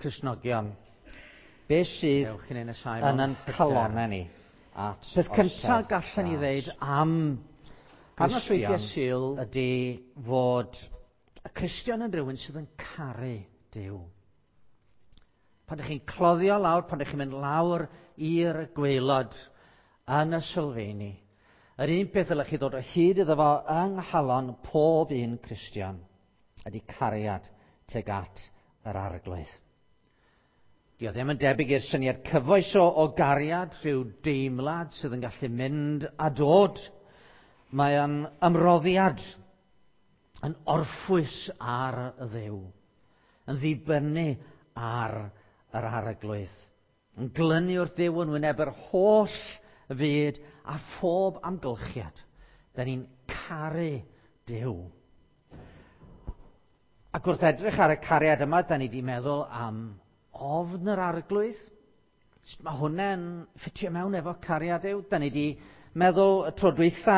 Cristnogion? Be sydd Dewch i ni nesau yn mewn ein hyder calonnau ni? at Peth cyntaf orsedd gallen ni gras. ddeud am Ar nosweithiau Gristion Sul, ydy fod y Cristion yn rhywun sydd yn caru Duw. Pan ydych chi'n cloddio lawr, pan ydych chi'n mynd lawr i'r gwaelod yn y sylfeini, yr un peth ddylech chi ddod o hyd iddo fo yng nghalon pob un Cristion ydy cariad tuag at yr Arglwydd. Dio ddim yn debyg i'r syniad cyfoes o gariad, rhyw deimlad sydd yn gallu mynd a dod. Mae o'n ymroddiad, yn orffwys ar y Dduw, yn ddibynnu ar yr Arglwydd, yn glynu wrth Dduw yn wyneb yr holl fyd a phob amgylchiad. Da ni'n caru Duw. Ac wrth edrych ar y cariad yma, da ni wedi meddwl am ofn yr Arglwydd. Sut mae hwnna'n ffitio mewn efo cariad Duw? Da ni wedi meddwl y tro dwytha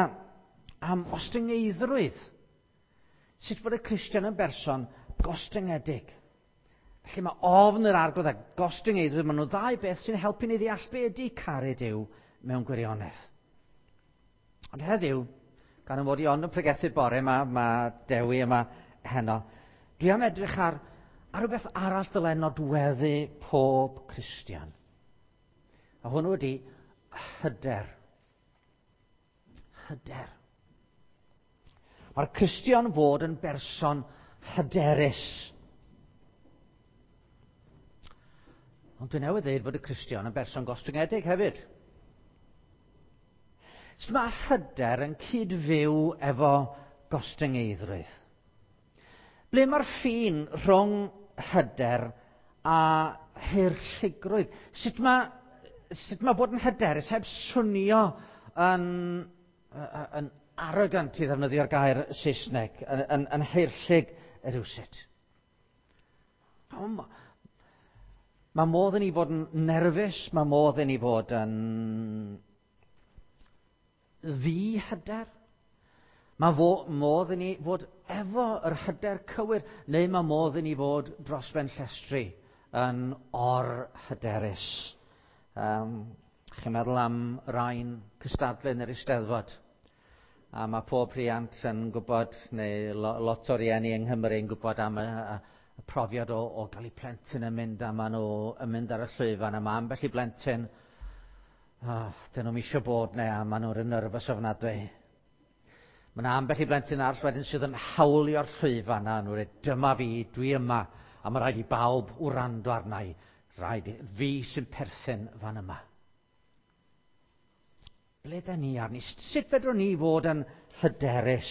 am ostyngeiddrwydd. Sut bod y Cristion yn berson gostyngedig. Felly mae ofn yr Arglwydd a gostyngeiddrwydd, maen nhw ddau beth sy'n helpu ni ddeall be ydy caru Duw mewn gwirionedd. Ond heddiw, gan y mod i ond yn pregethu bore yma, mae Dewi yma heno, dwi am edrych ar rhywbeth arall dylai nodweddu pob Cristion. A hwnnw ydy hyder. Hyder. Mae'r Cristion fod yn berson hyderus. Ond dwi newydd ddeud fod y Cristion yn berson gostyngedig hefyd. Sut mae hyder yn cyd-fyw efo gostyngeiddrwydd? Ble mae'r ffin rhwng hyder a haerllugrwydd? Sut mae bod yn hyderus heb swnio yn arrogant, i ddefnyddio'r gair Saesneg, yn haerllug rywsut? Mae modd i ni fod yn nerfus, mae modd i ni fod yn ddi-hyder. Mae modd i ni fod efo yr hyder cywir, neu mae modd i ni fod dros ben llestri yn or-hyderus. Chi'n meddwl am rai'n cystadlu yn yr Eisteddfod? A mae pob rhiant yn gwybod, neu lot o rieni yng Nghymru yn gwybod am y profiad o gael eu plentyn yn mynd, a maen nhw yn mynd ar y llwyfan, a mae ambell i blentyn, dyn nhw'm isio bod neu, a maen nhw'n nervous ofnadwy. Mae yna ambell i blentyn arall wedyn sydd yn hawlio'r llwyfan, a nhw'n dweud, dyma fi, dwi yma, a mae rhaid i bawb wrando arna i, rhaid i fi sy'n perthyn fan yma. Ble da ni arni? Sut fedrwn ni fod yn hyderus?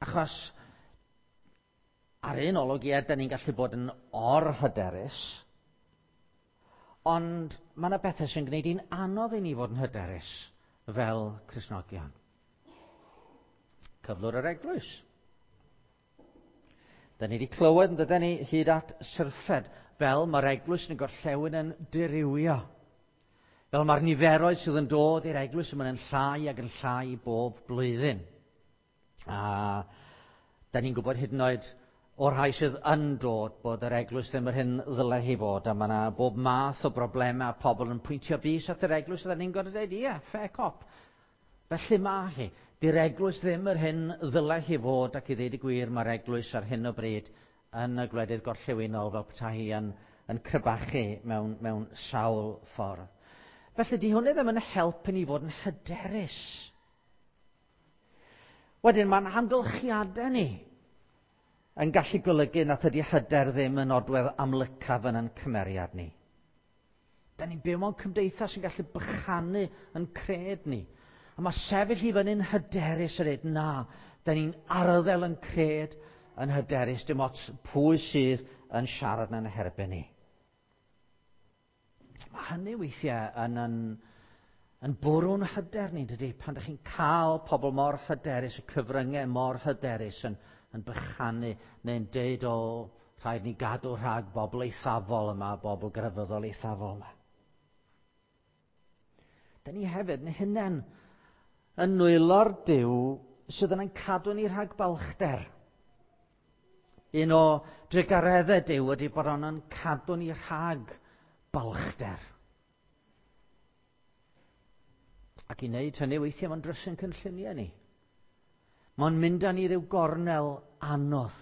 Achos ar un olwg, ie, da ni'n gallu bod yn or-hyderus, ond mae yna bethau sy'n gwneud hi'n anodd i ni fod yn hyderus fel Cristnogion. Cyflwr yr eglwys. Da ni wedi clywed yn dydyn ni hyd at syrffed, fel mae'r eglwys yn y gorllewin yn dirywio. Fel mae'r niferoedd sydd yn dod i'r eglwys yn mynd yn llai ac yn llai bob blwyddyn. A da ni'n gwybod hyd yn oed o'r rhai sydd yn dod bod yr eglwys ddim yr hyn ddylai hi fod, a mae yna bob math o broblemau a pobl yn pwyntio bys at yr eglwys, a da ni'n gorfod dweud, ie, fair cop. Felly mae hi. Di'r eglwys ddim yr hyn ddylai hi fod, ac i ddeud y gwir, mae'r eglwys ar hyn o bryd yn y gwledydd gorllewinol fel petai hi yn crybachu mewn sawl ffordd. Felly, di hwnna ddim yn helpu ni fod yn hyderus. Wedyn, mae'n amgylchiadau ni yn gallu golygu nad ydy hyder ddim yn nodwedd amlycaf yn ein cymeriad ni. Da ni'n byw mewn cymdeithas sy'n gallu bychanu yn cred ni. A mae sefyll i fyny'n hyderus yn dweud, na, da ni'n arddel yn cred yn hyderus, dim ots pwy sydd yn siarad yn herbyn ni. Mae hynny weithiau yn bwrw'n hyder ni, dydy, pan ydych chi'n cael pobl mor hyderus, y cyfryngau mor hyderus yn bychanu neu'n deud, o, rhaid ni gadw rhag bobl eithafol yma, bobl grefyddol eithafol yma. Da ni hefyd yn hunain yn nwylo'r Duw sydd yn ein cadw ni rhag balchder. Un o drugareddau Duw ydy bod o'n cadw ni rhag balchder. Ac i wneud hynny weithiau mae'n drysu'n cynlluniau ni. Mae'n mynd â ni ryw gornel anodd.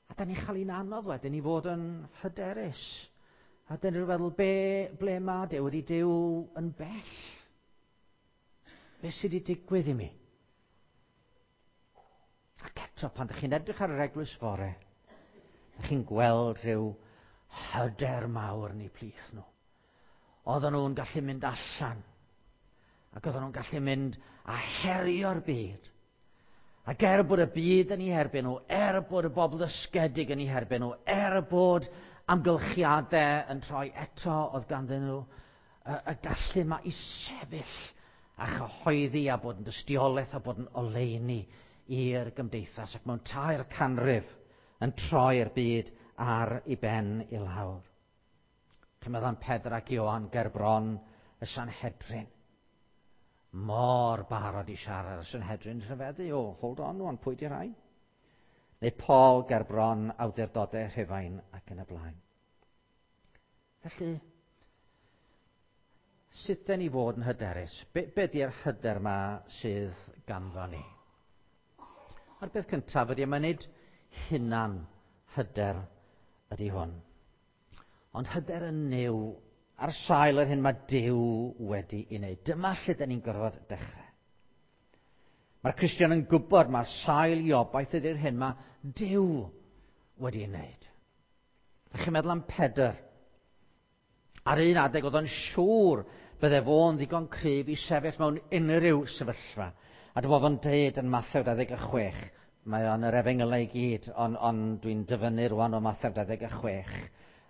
A da ni'n chael un anodd wedyn i fod yn hyderus. A dyn ni'n feddwl, be, ble mae Duw? Ydy Duw yn bell? Be sydd wedi digwydd i mi? Ac eto, pan ydych chi'n edrych ar yr eglwys fore, ydych chi'n gweld rhyw hyder mawr yn eu plith nhw. Oedden nhw'n gallu mynd allan. Ac oedden nhw'n gallu mynd a herio'r byd. Ac er bod y byd yn eu herbyn nhw, er bod y bobl ddysgedig yn eu herbyn nhw, er bod amgylchiadau yn troi eto oedd ganddyn nhw y, y gallu yma i sefyll a chyhoeddi a bod yn dystiolaeth a bod yn oleuni i'r gymdeithas ac mewn 3 canrif yn troi'r byd ar ei ben i lawr. Chi'n meddwl am Pedr ac Ioan ger bron y Sanhedrin. Mor barod i siarad y Sanhedrin rhyfeddu. O, hold on, wan, pwy di rhain? Neu Paul ger bron awdurdodau Rhufain ac yn y blaen. Felly, sut den ni fod yn hyderus? Be, be di'r hyder ma sydd ganddo ni? A'r beth cyntaf ydy, mae nid hunan hyder ydy hwn. Ond hyder yn Nuw ar sail yr hyn mae Duw wedi ei wneud. Dyma lle dyn ni'n gorfod dechrau. Mae'r Cristion yn gwybod mae'r sail i obaith ydy'r hyn mae Duw wedi ei wneud. Ydych chi'n meddwl am Pedr? Ar un adeg oedd o'n siŵr bydde fo'n ddigon cryf i sefyll mewn unrhyw sefyllfa. A dyma fo'n deud yn Mathew 26, mae o'n yr efengylau i gyd, ond on dwi'n dyfynnu rwan o Mathew 26.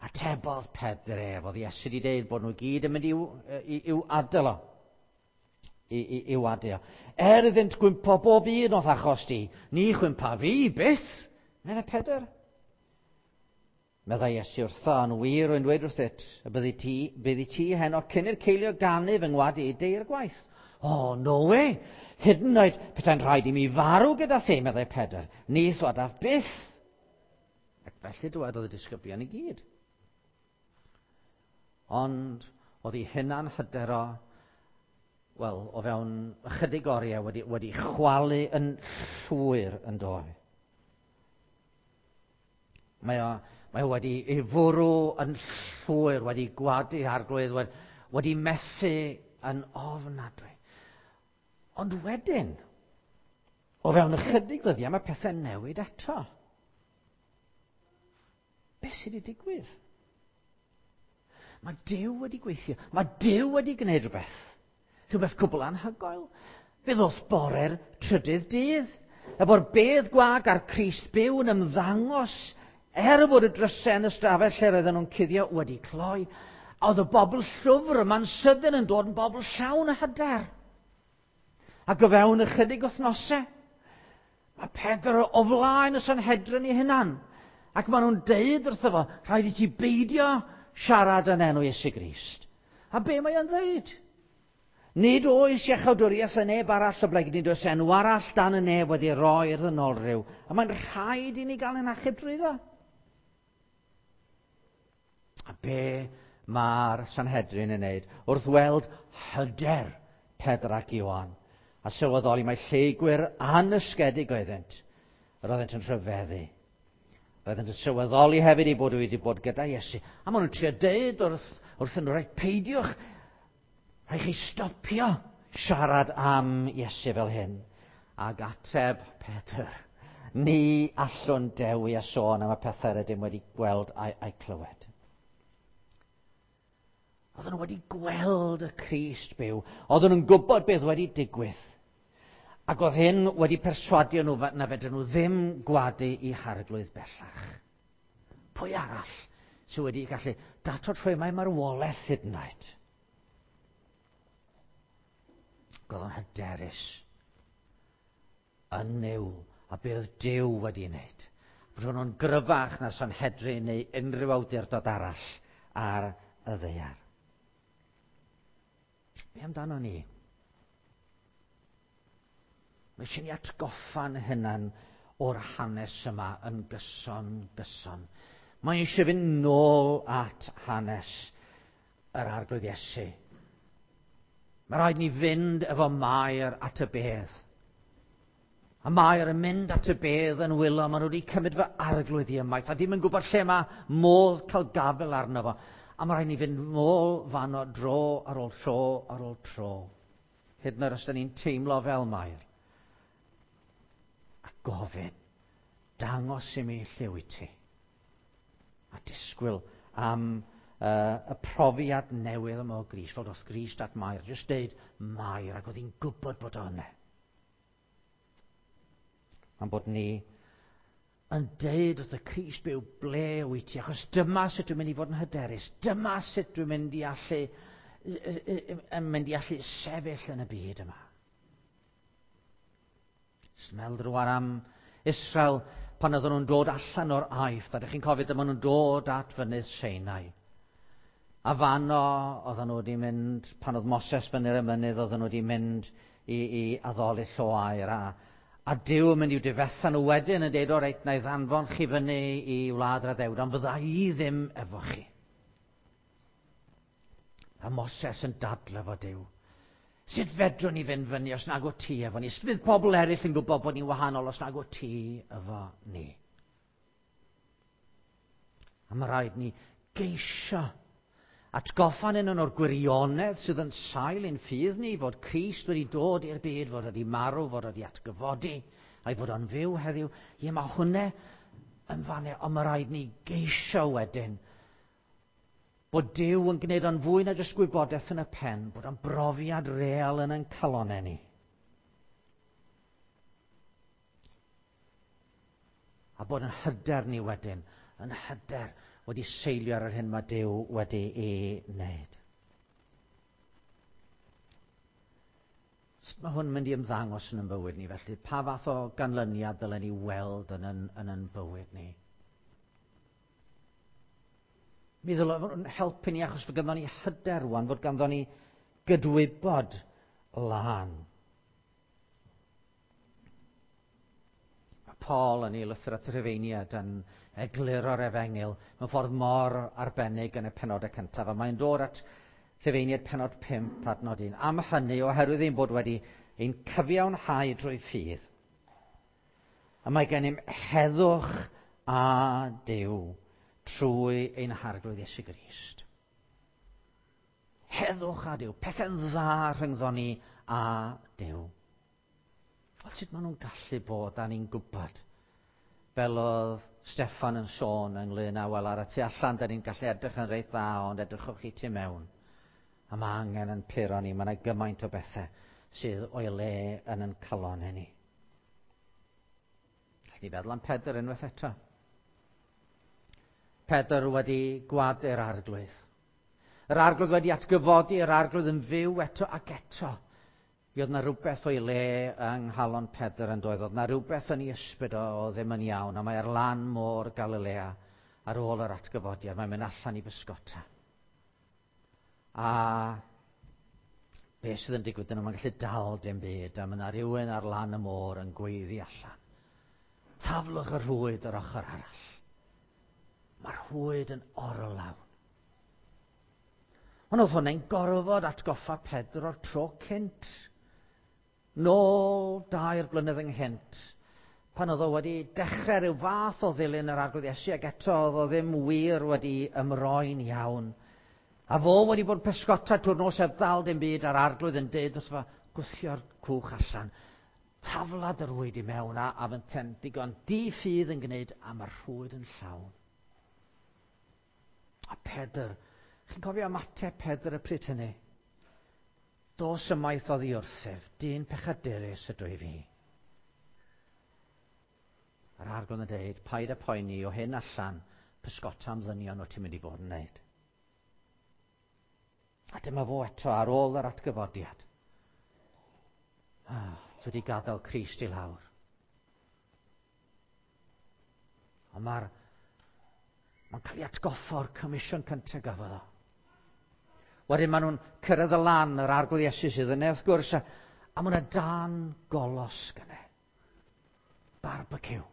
Atebodd Pedr ef, oedd Iesu wedi deud bod nhw gyd yn mynd i'w, i'w, i'w adael o. I, i, i'w adio. Er iddynt gwympo bob un o'th achos di, ni chwympa fi byth, meddai Pedr. Meddai Iesu wrtho, yn wir rwy'n dweud wrthyt, y byddi ti, byddi ti heno cyn i'r ceiliog ganu fy ngwadu i deir gwaith. O, oh, no way! Hyd yn oed petai'n rhaid i mi farw gyda thi, meddai Pedr. Ni thwadaf byth. Ac felly dywedodd y disgyblion i gyd. Ond oedd ei hunan hyder o, wel, o fewn ychydig oriau wedi, wedi chwalu yn llwyr yn doedd. Mae o, mae o wedi ei fwrw yn llwyr, wedi gwadu arglwydd, wedi, wedi methu yn ofnadwy. Ond wedyn, o fewn ychydig ddyddiau, mae pethau'n newid eto. Be sydd wedi digwydd? Mae Duw wedi gweithio. Mae Duw wedi gwneud rhywbeth. Rhywbeth cwbl anhygoel. Fe ddoth bore'r trydydd dydd. Efo'r bedd gwag a'r Crist byw yn ymddangos er fod y drysau yn y stafell lle roedden nhw'n cuddio wedi cloi. A oedd y bobl llwfr yma'n sydyn yn dod yn bobl llawn o hyder. Ac o fewn ychydig wythnosau, mae Pedr o flaen y Sanhedrin ei hunan. Ac maen nhw'n deud wrtho fo, rhaid i ti beidio siarad yn enw Iesu Grist. A be mae o'n dweud? Nid oes iachawdwriaeth yn neb arall oblegid nid oes enw arall dan y nef wedi roi i'r ddynolryw. A mae'n rhaid i ni gael ein achub drwyddo. A be mae'r Sanhedrin yn wneud wrth weld hyder Pedr ac Ioan a sylweddoli mai lleygwyr annysgedig oeddynt, yr oeddynt yn rhyfeddu. Roeddent yn sylweddoli hefyd ei bod wedi bod gyda Iesu. A maen nhw'n trio deud wrth, wrth nhw, rhaid peidiwch, rhaid chi stopio siarad am Iesu fel hyn. Ac ateb Pedr, ni allwn dewi a sôn am y pethau rydym wedi gweld a'i, a'i clywed. Oedden nhw wedi gweld y Crist byw. Oedden nhw'n gwybod beth wedi digwydd. Ac oedd hyn wedi perswadio nhw na fedryn nhw ddim gwadu eu harglwydd bellach. Pwy arall sydd wedi gallu datod rhwymau marwolaeth hyd yn oed? Oedd o'n hyderus yn Nuw a be oedd Duw wedi wneud. Bod nhw'n gryfach na Sanhedrin neu unrhyw awdurdod arall ar y ddaear. Be amdano ni? Mae eisiau ni atgoffa'n hunan o'r hanes yma yn gyson, gyson. Mae eisiau fynd nôl at hanes yr Arglwydd Iesu. Mae rhaid ni fynd efo Mair at y bedd. A Mair yn mynd at y bedd yn wylo, maen nhw wedi cymryd fy arglwydd i ymaith, a dim yn gwybod lle mae modd cael gafel arno fo. A mae rhaid ni fynd nôl fanno dro ar ôl tro ar ôl tro. Hyd yn oed os da ni'n teimlo fel Mair. A gofyn, dangos i mi lle wyt ti. A disgwyl am y profiad newydd yma o Grist, fel doth Grist at Mair, jyst deud Mair, ac oedd hi'n gwybod bod o yna. Mae'n bod ni yn deud wrth y Crist byw ble wyt ti, achos dyma sut dwi'n mynd i fod yn hyderus, dyma sut dwi'n mynd i allu, yn mynd i allu sefyll yn y byd yma. Smel rwan am Israel pan oedden nhw'n dod allan o'r Aifft, a ydych chi'n cofio dyma nhw'n dod at fynydd Sinai. A fanno oedden nhw wedi mynd, pan oedd Moses fyny'r y mynydd, oedden nhw wedi mynd i addoli llo aur. A Duw yn mynd i'w difetha nhw wedyn yn deud, o reit, na i ddanfon chi fyny i wlad yr addewid, ond fydda i ddim efo chi. A Moses yn dadle efo Duw. Sut fedrwn ni fynd fyny os nag o ti efo ni? Sut fydd pobl eraill yn gwybod bod ni'n wahanol os nag o ti efo ni? A mae rhaid ni geisio atgoffa un o'r gwirionedd sydd yn sail ein ffydd ni, fod Crist wedi dod i'r byd, fod wedi marw, fod wedi atgyfodi, a'i fod o'n fyw heddiw. Ie, mae hwnna yn fanne, ond mae rhaid ni geisio wedyn bod Duw yn gwneud o'n fwy na jyst gwybodaeth yn y pen, bod o'n brofiad real yn ein calonnau ni. A bod yn hyder ni wedyn, yn hyder wedi seilio ar yr hyn mae Duw wedi ei wneud. Sut mae hwn yn mynd i ymddangos yn ein bywyd ni felly? Pa fath o ganlyniad dylen ni weld yn ein bywyd ni? Mi ddylai fod yn helpu ni achos fod ganddo ni hyder rwan, fod ganddo ni gydwybod lân. Mae Paul yn ei lythyr at y Rhufeiniaid yn egluro'r efengyl mewn ffordd mor arbennig yn y penodau cyntaf, a mae'n dod at Rhufeiniaid pennod 5 adnod 1. Am hynny, oherwydd ein bod wedi ein cyfiawnhau drwy ffydd, a mae gennym heddwch a Duw trwy ein Harglwydd Iesu Grist. Heddwch a Duw, pethau'n dda rhyngddon ni a Duw. Wel, sut maen nhw'n gallu bod, da ni'n gwybod? Fel oedd Steffan yn sôn ynglyn â, wel, ar y tu allan, da ni'n gallu edrych yn reit dda, ond edrychwch chi tu mewn. A mae angen yn puro ni, mae yna gymaint o bethau sydd o'i le yn ein calonnau ni. Gallwn ni feddwl am Pedr unwaith eto. Pedr wedi gwadu'r Arglwydd. Yr Arglwydd wedi atgyfodi, yr Arglwydd yn fyw eto ac eto. Mi oedd yna rhywbeth o'i le yng nghalon Pedr yn doedd. Oedd yna rhywbeth yn ei ysbryd o ddim yn iawn, a mae ar lan môr Galilea ar ôl yr atgyfodiad. Mae'n mynd allan i bysgota. A beth sydd yn digwydd yna, mae'n gallu dal dim byd, a mae yna rhywun ar lan y môr yn gweiddi allan. Taflwch y rhwyd yr ochr arall. Mae'r rhwyd yn orlawn. Ond oedd hwnna'n gorfod atgoffa Pedr o'r tro cynt. Nôl 2 blynedd ynghynt, pan oedd o wedi dechrau rhyw fath o ddilyn yr Arglwydd Iesu, ac eto oedd o ddim wir wedi ymroi'n iawn. A fo wedi bod yn pysgota trwy'r nos heb ddal dim byd, a'r Arglwydd yn deud wrtho fo, gwthio'r cwch allan. Taflad yr rhwyd i mewn, a fynten digon di-ffydd yn gwneud, a mae'r rhwyd yn llawn. A Pedr, chi'n cofio ymateb Pedr y pryd hynny? Dos ymaith oddi wrthyf, dyn pechadurus ydw i fi. A'r Arglwydd yn dweud, paid â poeni o hyn allan, pysgota am ddynion o ti'n mynd i fod yn wneud. A dyma fo eto ar ôl yr atgyfodiad. Dwi wedi gadael Crist i lawr. Ond mae'n cael ei atgoffa o'r comisiwn cyntaf gafodd o. Wedyn maen nhw'n cyrraedd y lan, yr Arglwydd Iesu sydd yna, wrth gwrs, a mae yna dan golosg yna. Barbecue.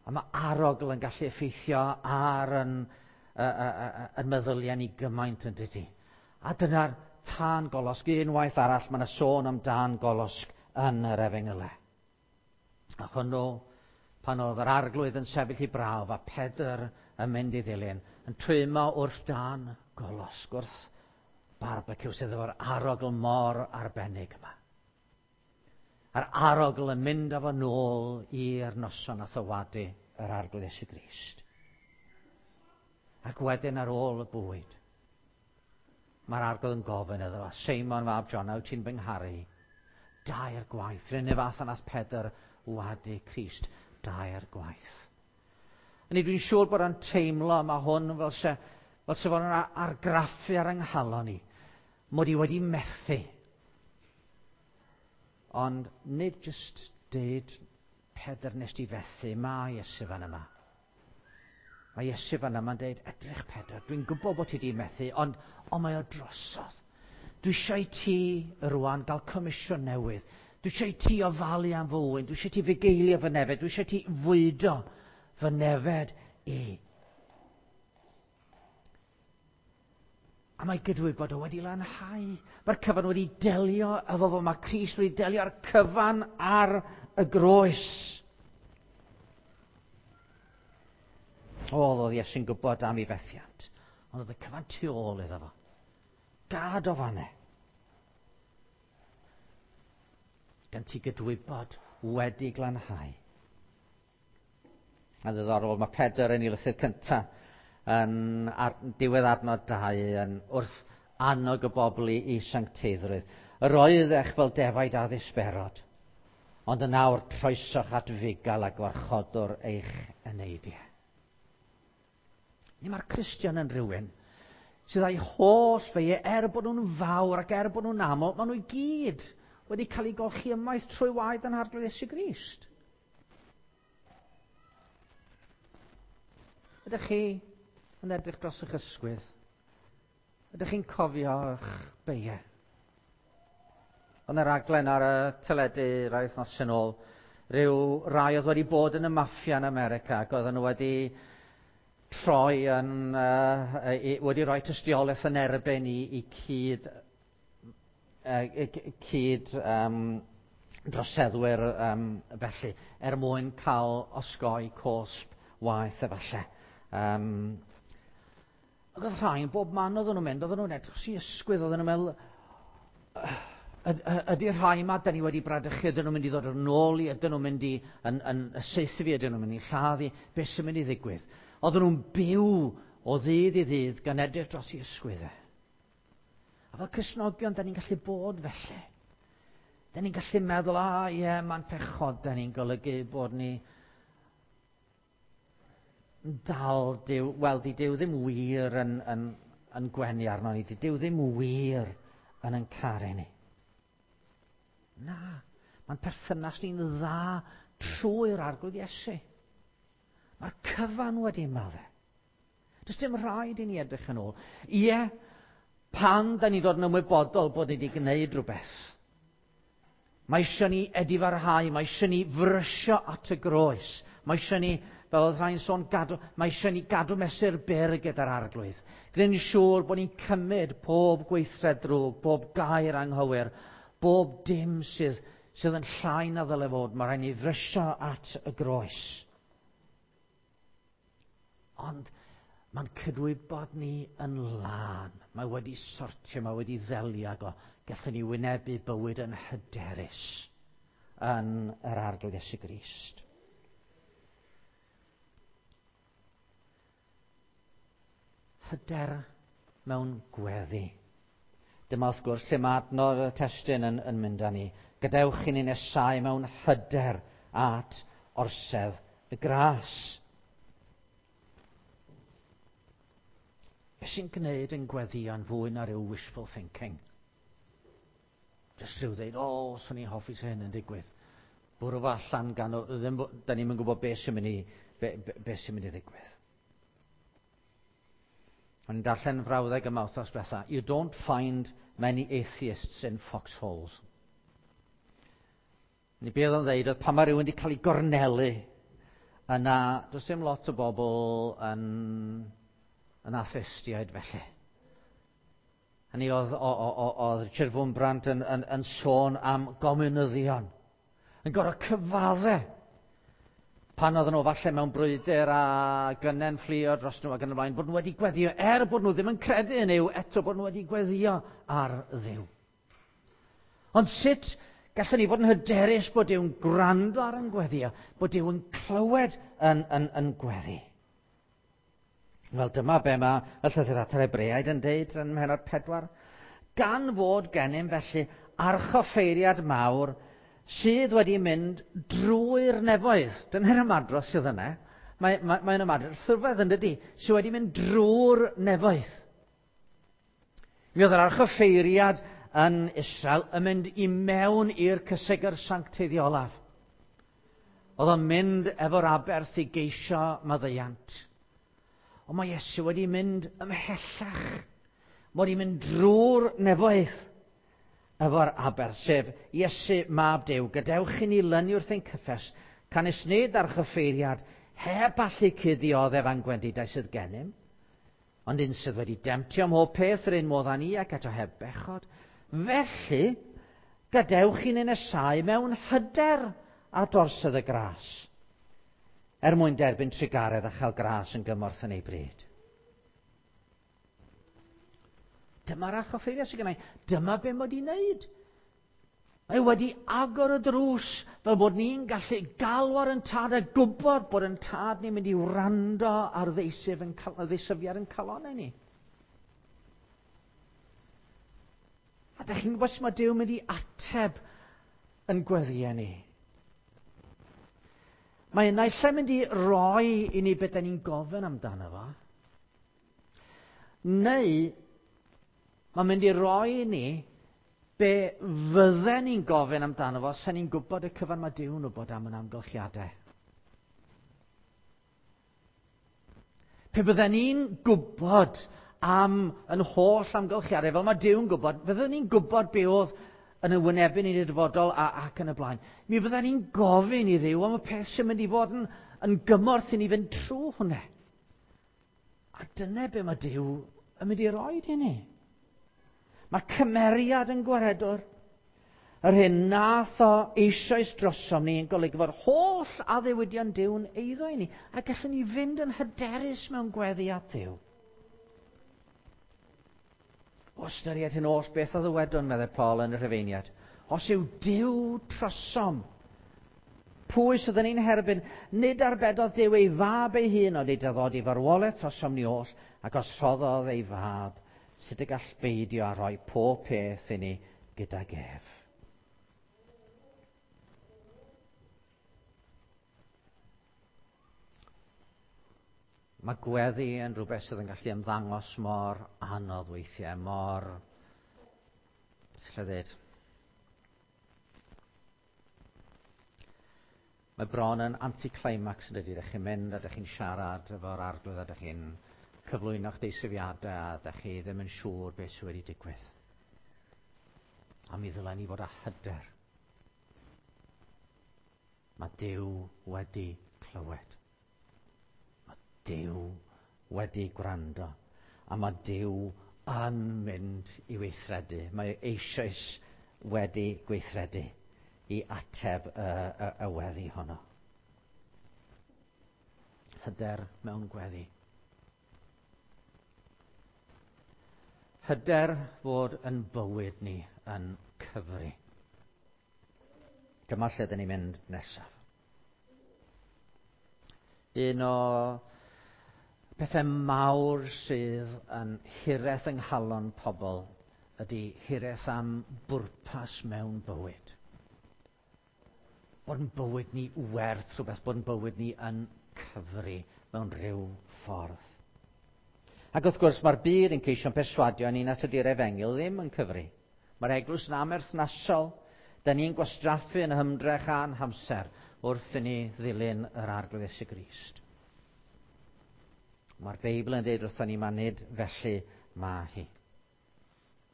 A mae arogl yn gallu effeithio ar yn, yn meddyliau ni gymaint, yn dydy. A dyna'r tân golosg. Unwaith arall mae yna sôn am dân golosg yn yr Efengylau. A hwnnw, pan oedd yr Arglwydd yn sefyll i brawf a Pedr yn mynd i ddilyn, yn twymo wrth dân golosg, wrth barbeciw sydd efo'r arogl mor arbennig yma. A'r arogl yn mynd â fo nôl i'r noson a thywadu yr Arglwydd Iesu Grist. Ac wedyn ar ôl y bwyd, mae'r Arglwydd yn gofyn iddo fo, "Seimon fab Jona, wyt ti'n fy ngharu?" Dair gwaith. R'un fath â nath Pedr wadu Crist dair gwaith. A ni dwi'n siŵr bod o'n teimlo, mae hwn fel se fo'n argraffu ar yng nghalon ni, mod i wedi methu. Ond nid jyst deud, "Pedr, nes di fethu," mae Iesu fan yma. Mae Iesu fan yma'n deud, "Edrych Pedr, dwi'n gwybod bod ti wedi methu, ond mae o drosodd. Dwi eisiau i ti rwan gael comisiwn newydd. Dwi eisiau i ti ofalu am fy ŵyn. Dwi eisiau i ti fugeilio fy nefed. Dwi eisiau i ti fwydo fy nefed i." A mae gydwybod o wedi lanhau. Mae'r cyfan wedi delio efo fo. Mae Crist wedi delio â'r cyfan ar y groes. O, oedd Iesu'n gwybod am ei fethiant. Ond oedd y cyfan tu ôl iddo fo. Gad o fanne. Gan ti gydwybod wedi glanhau. A ddiddorol, mae Pedr yn ei lythyr cyntaf yn diwedd adnod 2 yn wrth annog y bobl i sancteiddrwydd. "Yr oeddech fel defaid a ddisberod, ond yn awr troesoch at fugail a gwarchodwr eich eneidiau." Ni mae'r Cristion yn rhywun sydd â'i holl feiau, er bod nhw'n fawr ac er bod nhw'n aml, maen nhw i gyd wedi cael eu golchi ymaith trwy waed yn Arglwydd Iesu Grist. Ydych chi yn edrych dros eich ysgwydd? Ydych chi'n cofio eich beiau? Yn y raglen ar y teledu rai wythnos yn ôl, rhyw rai oedd wedi bod yn y maffia yn America ac oedden nhw wedi troi yn, wedi rhoi tystiolaeth yn erbyn i cyd droseddwyr felly, er mwyn cael osgoi cosb waeth efallai. Ac oedd rhain, bob man oedden nhw'n mynd, oedden nhw'n edrych sy'n ysgwydd, oedden nhw'n meddwl, ydy'r rhai yma da ni wedi bradychu, ydyn nhw'n mynd i ddod yn ôl i, ydyn nhw'n mynd i yn saethu fi, ydyn nhw'n mynd i lladd i, beth sy'n mynd i ddigwydd? Oedden nhw'n byw o ddydd i ddydd gan edrych dros i ysgwyddau. A fel Cristnogion, da ni'n gallu bod felly. Da ni'n gallu meddwl, "A ie, yeah, mae'n pechod," da ni'n golygu bod ni dal Duw, wel, di Duw ddim wir yn gwenu arno ni, di Duw ddim wir yn caru ni. Na, mae'n perthynas ni'n dda trwy'r Arglwydd Iesu. Mae'r cyfan wedi maddau. Does dim rhaid i ni edrych yn ôl. Ie, pan da ni'n dod yn ymwybodol bod ni wedi gwneud rhywbeth, mae eisiau ni edifarhau, mae eisiau ni frysio at y groes. Mae eisiau ni, fel oedd rhai'n sôn, gadw, mae eisiau ni gadw mesur byr gyda'r Arglwydd. Gwneud yn siŵr bod ni'n cymryd pob gweithred drwg, bob gair anghywir, bob dim sydd yn llai na ddyle fod. Mae rhaid ni frysio at y groes. Ond mae'n cydwybod ni yn lân. Mae wedi sortio, mae wedi ddelio ag o. Gallwn ni wynebu bywyd yn hyderus yn yr Arglwydd Iesu Grist. Hyder mewn gweddi. Dyma wrth gwrs lle mae adnod y testun yn mynd â ni. "Gadewch i ni nesau mewn hyder at orsedd y gras." Be sy'n gwneud yn gweddïo'n fwy na rhyw wishful thinking? Jyst rhyw ddeud, "O, oh, swn i'n hoffi sy'n hyn yn digwydd." Bwrw fo allan gan, o, ddim, da ni'n gwybod be sy'n mynd i ddigwydd. O'n i'n darllen frawddeg yma wythnos diwetha. "You don't find many atheists in foxholes." Ni be oedd o'n ddeud oedd pan mae rhywun wedi cael ei gornelu, yna does dim lot o bobl yn atheistiaid felly. Hynny oedd Richard Wurmbrand yn sôn am gomiwnyddion, yn gorfod cyfadde pan oedden nhw falle mewn brwydr a gynnen fflio dros nhw ac yn y blaen, bod nhw wedi gweddio, er bod nhw ddim yn credu yn Nuw, eto bod nhw wedi gweddio ar Dduw. Ond sut gallwn ni fod yn hyderus bod Duw'n gwrando ar yn gweddio, bod Duw yn clywed yn gweddi? Wel, dyma be mae y llythyr at yr Hebreaid yn deud yn mhennod 4. Gan fod gennym felly archoffeiriad mawr sydd wedi mynd drwy'r nefoedd. Dyna'r ymadrodd sydd yna. Mae'n ymadrodd rhyfedd yn dydi, sydd wedi mynd drwy'r nefoedd. Mi oedd yr archoffeiriad yn Israel yn mynd i mewn i'r cysegr sancteiddiolaf. Oedd o'n mynd efo'r aberth i geisio maddeuant. Ond mae Iesu wedi mynd ymhellach. Mae wedi mynd drwy'r nefoedd efo'r aberth, sef Iesu mab Duw. Gadewch i ni lynu wrth ein cyffes, canys nid archoffeiriad heb allu cuddioddef a'n gwendidau sydd gennym, ond un sydd wedi demtio ym mhob peth yr un modd â ni ac eto heb bechod. Felly, gadewch i ni nesáu mewn hyder at orsedd y gras, er mwyn derbyn trugaredd a chael gras yn gymorth yn ei bryd. Dyma'r archoffeiriad sydd gennau. Dyma be mae wedi wneud. Mae wedi agor y drws fel bod ni'n gallu galw ar yn tad a gwybod bod yn tad ni'n mynd i wrando ar ddeisyfiad yn calonnau ni. A dych chi'n gwybod sut mae Duw yn mynd i ateb yn gweddïau ni? Mae naill ai'n mynd i roi i ni beth da ni'n gofyn amdano fo, neu mae'n mynd i roi i ni be fydden ni'n gofyn amdano fo, sen ni'n gwybod y cyfan mae Duw'n wybod am yn amgylchiadau. Pe bydden ni'n gwybod am yn holl amgylchiadau, fel mae Duw'n gwybod, fydden ni'n gwybod be oedd yn y wynebu ni'n y dyfodol ac yn y blaen. Mi fydden ni'n gofyn i Dduw am y peth sy'n mynd i fod yn gymorth i ni fynd trwy hwnna. A dyna be mae Duw yn mynd i roi i ni. Mae cymeriad yn gwaredwr. Yr hyn nath o eisoes drosom ni yn golygu fod holl addewidion Duw'n eiddo i ni, a gallwn ni fynd yn hyderus mewn gweddi at Dduw. O ystyried hyn oll beth a ddywedwn, meddai Paul yn y Rhufeiniad, os yw Duw trosom, pwy sydd yn ein herbyn, nid arbedodd Duw ei fab ei hun, ond ei dyddod i farwolaeth trosom ni oll, ac os rhoddodd ei fab, sut y gall beidio a rhoi pob peth i ni gydag ef. Mae gweddi yn rhywbeth sydd yn gallu ymddangos mor anodd weithiau, mor... Beth allai ddweud? Mae bron yn anticlimax yn dydi. Dych chi'n mynd a dych chi'n siarad efo'r arglwydd a dych chi'n cyflwyno'ch deisyfiadau a dych chi ddim yn siŵr beth sydd wedi digwydd. A mi ddylen ni fod â hyder. Mae Duw wedi clywed. Mae Duw wedi gwrando. A mae Duw yn mynd i weithredu. Mae eisoes wedi gweithredu i ateb y weddi honno. Hyder mewn gweddi. Hyder fod yn bywyd ni yn cyfri. Dyma lle dyn ni'n mynd nesaf. Un o pethau mawr sydd yn hiraeth yng nghalon pobl ydy hiraeth am bwrpas mewn bywyd. Bod yn bywyd ni werth rhywbeth, bod yn bywyd ni yn cyfri mewn rhyw ffordd. Ac wrth gwrs mae'r byd yn ceisio'n perswadio ni nad ydy'r efengyl ddim yn cyfri. Mae'r eglwys yn amherthnasol. Da ni'n gwastraffu yn hymdrech a'n hamser wrth i ni ddilyn yr Arglwydd Iesu Grist. Mae'r Beibl yn dweud wrthon ni, mae nid felly mae hi.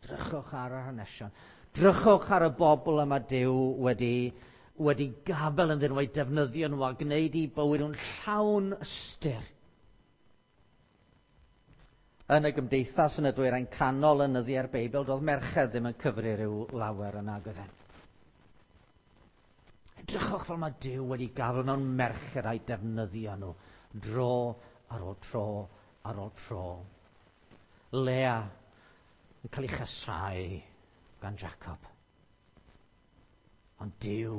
Drychwch ar yr hanesion. Drychwch ar y bobl yma Duw wedi wedi gafel ynddyn nhw a'i defnyddio nhw a gwneud i bywyd nhw'n llawn ystyr. Yn y gymdeithas yn y dwyrain canol yn nyddiau'r Beibl, doedd merched ddim yn cyfri rhyw lawer yn nag oedden. Edrychwch fel mae Duw wedi gafel mewn merched a'i defnyddio nhw dro ar ôl tro ar ôl tro. Lea yn cael ei chasau gan Jacob. Ond Duw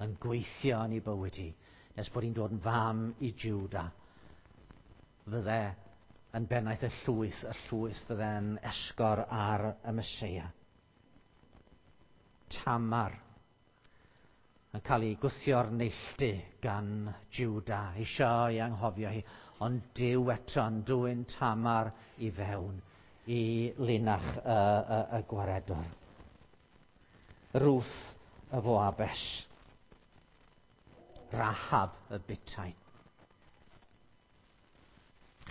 yn gweithio yn ei bywyd hi, nes bod hi'n dod yn fam i Juda. Fydde yn bennaeth y llwyth, y llwyth fydde'n esgor ar y Meseia. Tamar yn cael ei gwthio'r neilltu gan Juda, eisiau ei anghofio hi, ond Duw eto yn dwyn Tamar i fewn i linach y, y, y gwaredwr. Ruth y Foabes. Rahab y butain.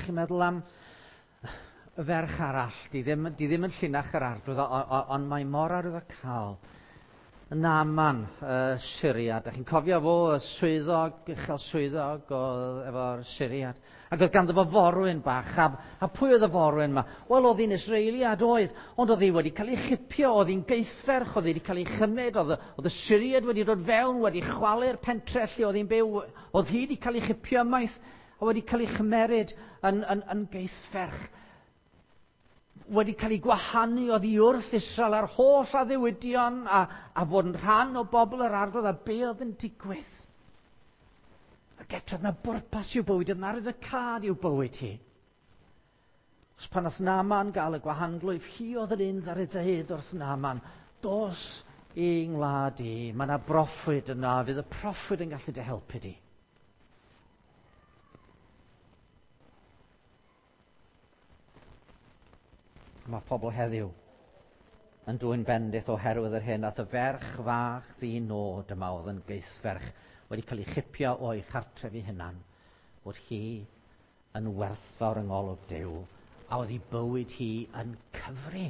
Chi'n meddwl am y ferch arall, di ddim, di ddim yn llinach yr arglwydd, ond mae mor arwyddocaol. Naaman, y Syriad. Da chi'n cofio fo, y swyddog, uchel swyddog efo'r Syriad. Ac oedd ganddo fo forwyn bach. A, a pwy oedd y forwyn yma? Wel, oedd hi'n Israeliad oedd, ond oedd hi wedi cael ei chipio, oedd hi'n geithferch, oedd hi wedi cael ei chymryd, oedd, oedd y Syriad wedi dod fewn, wedi chwalu'r pentre lle oedd hi'n byw, oedd hi wedi cael ei chipio ymaith, a wedi cael ei chymeryd yn, yn, yn geithferch wedi cael ei gwahanu oddi wrth Israel a'r holl addewidion a, a fod yn rhan o bobl yr arglwydd a be oedd yn digwydd. Ac eto, na bwrpas i'w bywyd, yna ar y cad i'w bywyd hi. Os pan oedd Naman gael y gwahanglwyf, hi oedd yr un ddar ei ddeud wrth Naman, dos i ngwlad i, mae yna broffwyd yna, fydd y proffwyd yn gallu dy helpu di. Mae pobl heddiw yn dwyn bendith oherwydd yr hyn ath y ferch fach ddi nod yma oedd yn geithferch wedi cael ei chipio o'i chartref ei hunan, bod hi yn werthfawr yng ngolwg Duw, a oedd ei bywyd hi yn cyfri.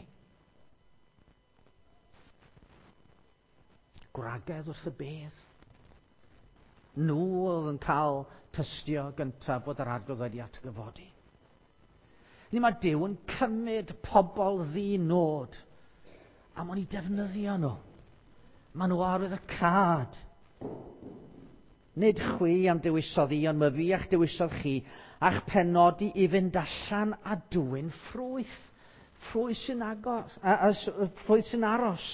Gwragedd wrth y bedd. Nhw oedd yn cael tystio gyntaf bod yr arglwydd wedi atgyfodi. Ni mae Duw yn cymryd pobl ddi-nod a ma'n i defnyddio nhw. Maen nhw arwydd y cad. Nid chwi am dewisodd i, ond mae fi a'ch dewisodd chi, a'ch penodi i fynd allan a dwyn ffrwyth. Ffrwyth sy'n agos, a, a, ffrwyth sy'n aros.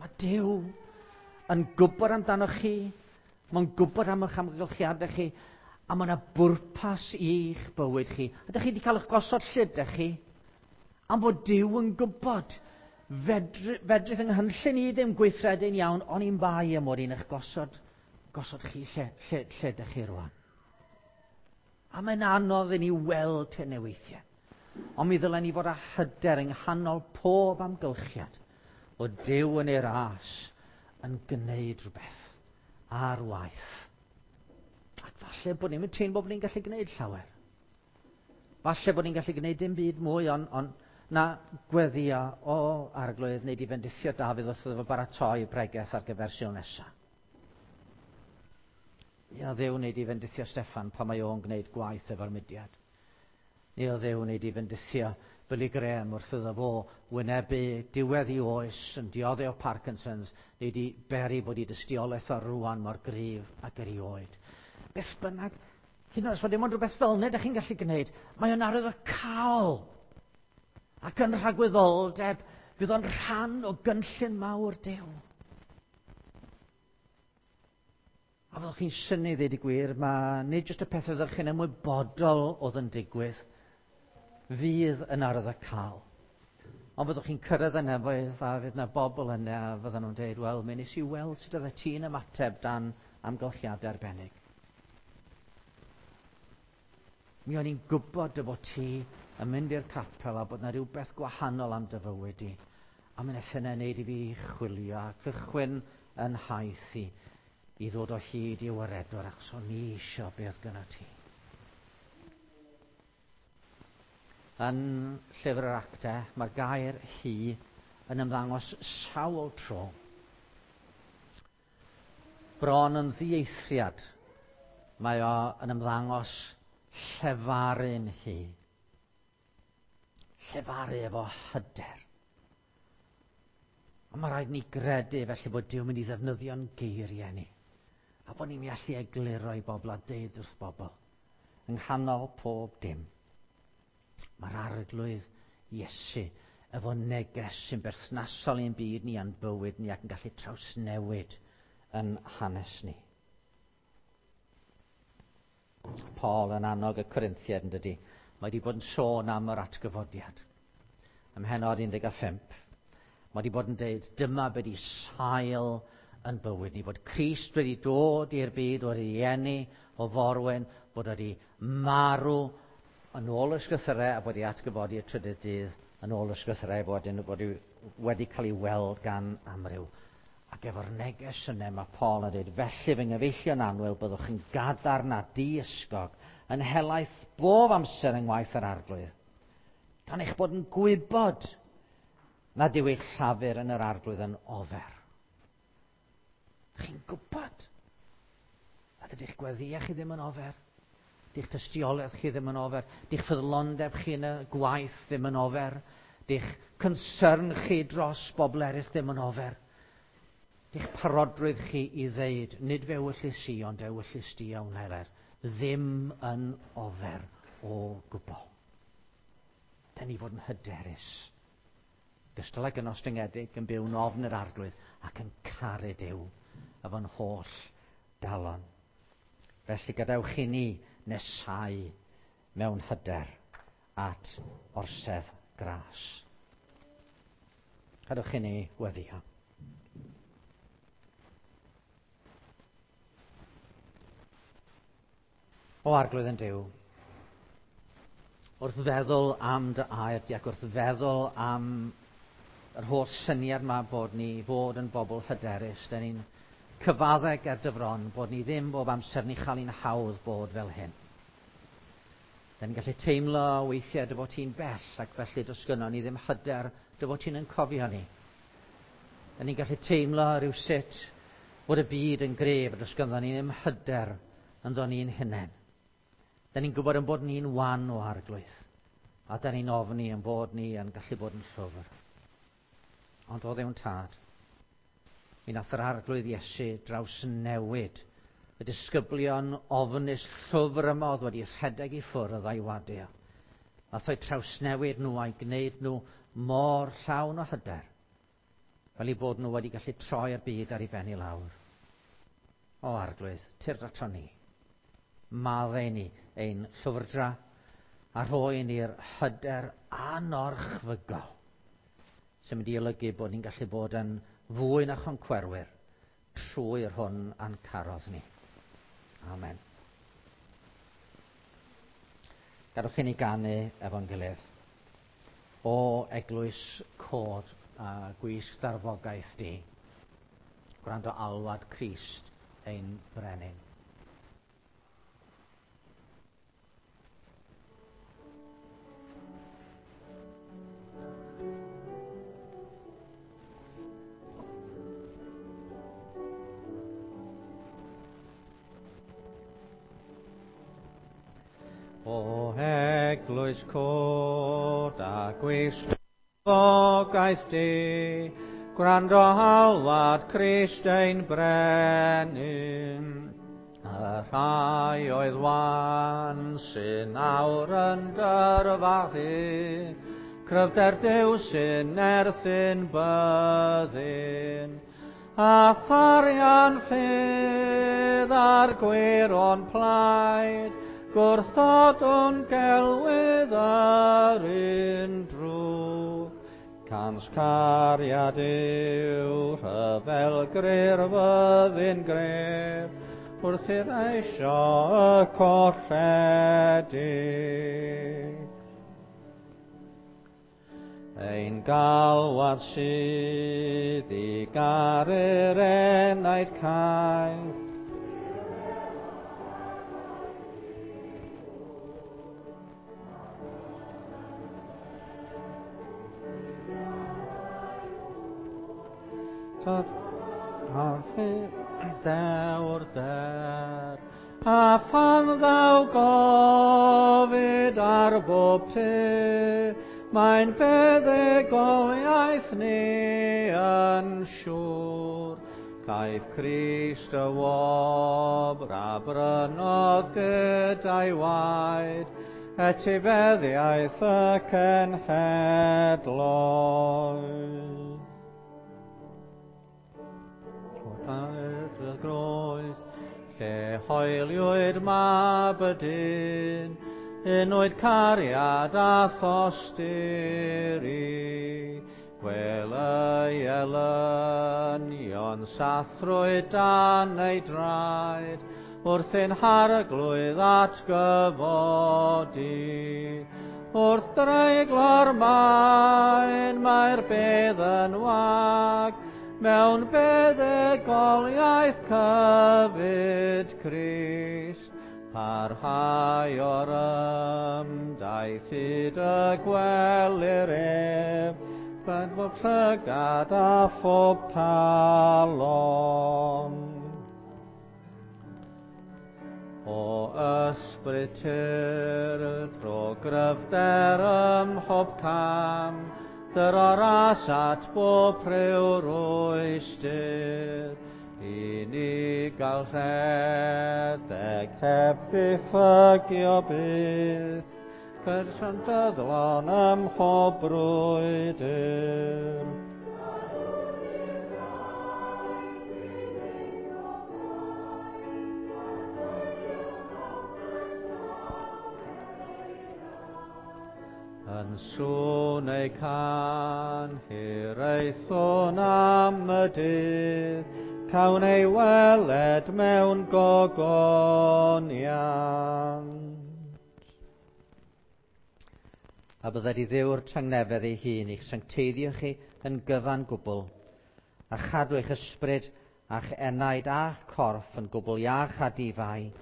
Mae Duw yn gwybod amdanoch chi, mae'n gwybod am eich amgylchiadau chi, a mae yna bwrpas i'ch bywyd chi. A ydych chi wedi cael eich gosod lle ydych chi? Am fod Duw yn gwybod. Fedrith yng nghynllun i ddim gweithredu'n iawn, ond i'n bai am mod i'n eich gosod, gosod chi lle, lle, lle ydych chi rwan. A mae'n anodd i ni weld hynny weithiau. Ond mi ddylen ni fod â hyder yng nghanol pob amgylchiad o Duw yn ei ras yn gwneud rhywbeth ar waith. Ac falle bod ni'n teimlo bod ni'n gallu gwneud llawer. Falle bod ni'n gallu gwneud dim byd mwy, ond on, na gweddio o arglwydd neu di fendithio Dafydd wrth iddo fo baratoi bregeth ar gyfer Sul nesaf. Ia, Dduw wneud i fendithio Steffan pan mae o'n gwneud gwaith efo'r mudiad. Neu o Dduw wneud i fendithio Billy Graham wrth iddo fo wynebu diwedd i oes yn dioddef o Parkinson's, neu di beri bod i dystiolaeth o rwan mor gryf ac erioed. Beth bynnag, hyd yn oed os mae dim ond rhywbeth fel yna ydych chi'n gallu gwneud, mae o'n arwydd o cael. Ac yn rhagwyddoldeb, fydd o'n rhan o gynllun mawr Duw. A fyddwch chi'n synnu ddweud y gwir, mae nid jyst y pethau ydych chi'n ymwybodol oedd yn digwydd, fydd yn arwydd o cael. Ond fyddwch chi'n cyrraedd y nefoedd a fydd yna bobl yna a fydden nhw'n dweud, wel, mi nes i weld sut oeddet ti'n ymateb dan amgylchiadau arbennig. Mi o'n i'n gwybod dy fod ti yn mynd i'r capel a bod yna rhywbeth gwahanol am dy fywyd i. A mi wnaeth hynna wneud i fi chwilio a cychwyn yn nhaith i i ddod o hyd i waredwr achos o'n i eisiau beth gyda ti. Yn llyfr yr actau, mae'r gair hi yn ymddangos sawl tro. Bron yn ddieithriad, mae o yn ymddangos llefaru'n hi. Llefaru efo hyder. A mae rhaid ni gredu felly bod Duw mynd i ddefnyddio'n geiriau ni. A bod ni'n allu egluro i bobl a deud wrth bobl. Yng nghanol pob dim. Mae'r Arglwydd Iesu efo neges sy'n berthnasol i'n byd ni a'n bywyd ni ac yn gallu trawsnewid yn hanes ni. Paul yn annog y Corinthiaid yn dydy. Mae wedi bod yn sôn am yr atgyfodiad. Ym mhennod 15. Mae wedi bod yn deud, dyma be di sail yn bywyd ni, bod Crist wedi dod i'r byd, wedi eni o forwyn, bod wedi marw yn ôl y ysgrythurau a bod wedi atgyfodi y trydydd dydd yn ôl y ysgrythurau, bod wedi cael ei weld gan amryw. Ac efo'r neges yna mae Paul yn dweud, felly fy nghyfeillion annwyl, byddwch yn gadarn a diysgog, yn helaeth bob amser yng ngwaith yr Arglwydd. Gan eich bod yn gwybod nad yw eich llafur yn yr Arglwydd yn ofer. Chi'n gwybod nad ydych gweddïau chi ddim yn ofer, di'ch tystiolaeth chi ddim yn ofer, di'ch ffyddlondeb chi yn y gwaith ddim yn ofer, di'ch concern chi dros bobl eraill ddim yn ofer. Di'ch parodrwydd chi i ddeud, nid fe ewyllys i, ond ewyllys di a wneler, ddim yn ofer o gwbl. Da ni fod yn hyderus. Gystal ag yn ostyngedig, yn byw'n ofn yr Arglwydd ac yn caru Duw efo'n holl galon. Felly gadewch i ni nesau mewn hyder at orsedd gras. Gadewch i ni weddio. O Arglwydd yn Duw, wrth feddwl am dy air di ac wrth feddwl am yr holl syniad yma bod ni fod yn bobl hyderus, da ni'n cyfadde ger dy fron bod ni ddim bob amser ni chael ein hawdd bod fel hyn. Da ni'n gallu teimlo weithiau dy fod ti'n bell ac felly does gynnon ni ddim hyder dy fod ti'n yn cofio ni. Da ni'n gallu teimlo rhywsut bod y byd yn gref a does gynnon ni ddim hyder ynddo ni'n hunain. Da ni'n gwybod yn bod ni'n wan o Arglwydd, a da ni'n ofni yn bod ni yn gallu bod yn llwfr. Ond o Dduw'n Tad, mi nath yr Arglwydd Iesu drawsnewid y disgyblion ofnus llwfr yma oedd wedi rhedeg i ffwrdd a'i wadio. Nath o'i trawsnewid nhw a'i gwneud nhw mor llawn o hyder, fel i bod nhw wedi gallu troi'r byd ar ei ben i lawr. O Arglwydd, tyrd ato ni. Maddau ni ein llwfrdra a rhoi ni'r hyder anorchfygol sy'n mynd i olygu bod ni'n gallu bod yn fwy na choncwerwyr trwy'r hwn a'n carodd ni. Amen. Gadewch i ni ganu efo'n gilydd. O eglwys cod a gwisg darfogaeth di, gwrando alwad Crist ein brenin. O eglwys cod a gwisg darfogaeth di, gwrando alwad Crist ein brenin. Y rhai oedd wan sy'n awr yn dyrfachu, cryfder Duw sy'n nerthyn byddin. A tharian ffydd a'r gwir o'n plaid, gwrthodwn gelwydd yr un drwg. Cans cariad yw rhyfel gryr fyddin gref, wrth i'r eisio y colledig. Ein galwad sydd i garu'r enaid caeth, Dewr der, a phan ddaw gofid ar bob tu, mae'n buddugoliaeth ni yn siŵr. Caiff Crist y wobr a brynodd gyda'i waed, etifeddiaeth y cenhedloedd. Y groes, lle hoeliwyd mab y dyn, unwyd cariad a thosturi. Gwel ei elynion sathrwyd dan ei draed, wrth ein harglwydd atgyfodi. Wrth dreiglo'r maen mae'r bedd yn wag, mewn buddugoliaeth cyfyd Crist. Parhau o'r ymdaith hyd y gwelir ef, ben bob llygad a phob calon. O ysbryd tir, tro gryfder ym mhob cam, dyro ras at bob rhyw rwystr, i ni gael rhedeg heb ddiffygio byth, person dyddlon ym mhob brwydr. Yn sŵn ei can, hiraethwn am y dydd, cawn ei weled mewn gogoniant. A bydded i Dduw'r tangnefedd ei hun i'ch sancteiddio chi yn gyfan gwbl, a chadw eich ysbryd a'ch enaid a'ch corff yn gwbl iach a difai,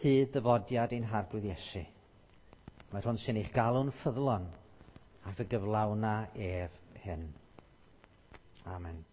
hyd ddyfodiad ein Harglwydd Iesu. Mae'r hwn sy'n eich galw'n ffyddlon, a fe gyflawna ef hyn. Amen.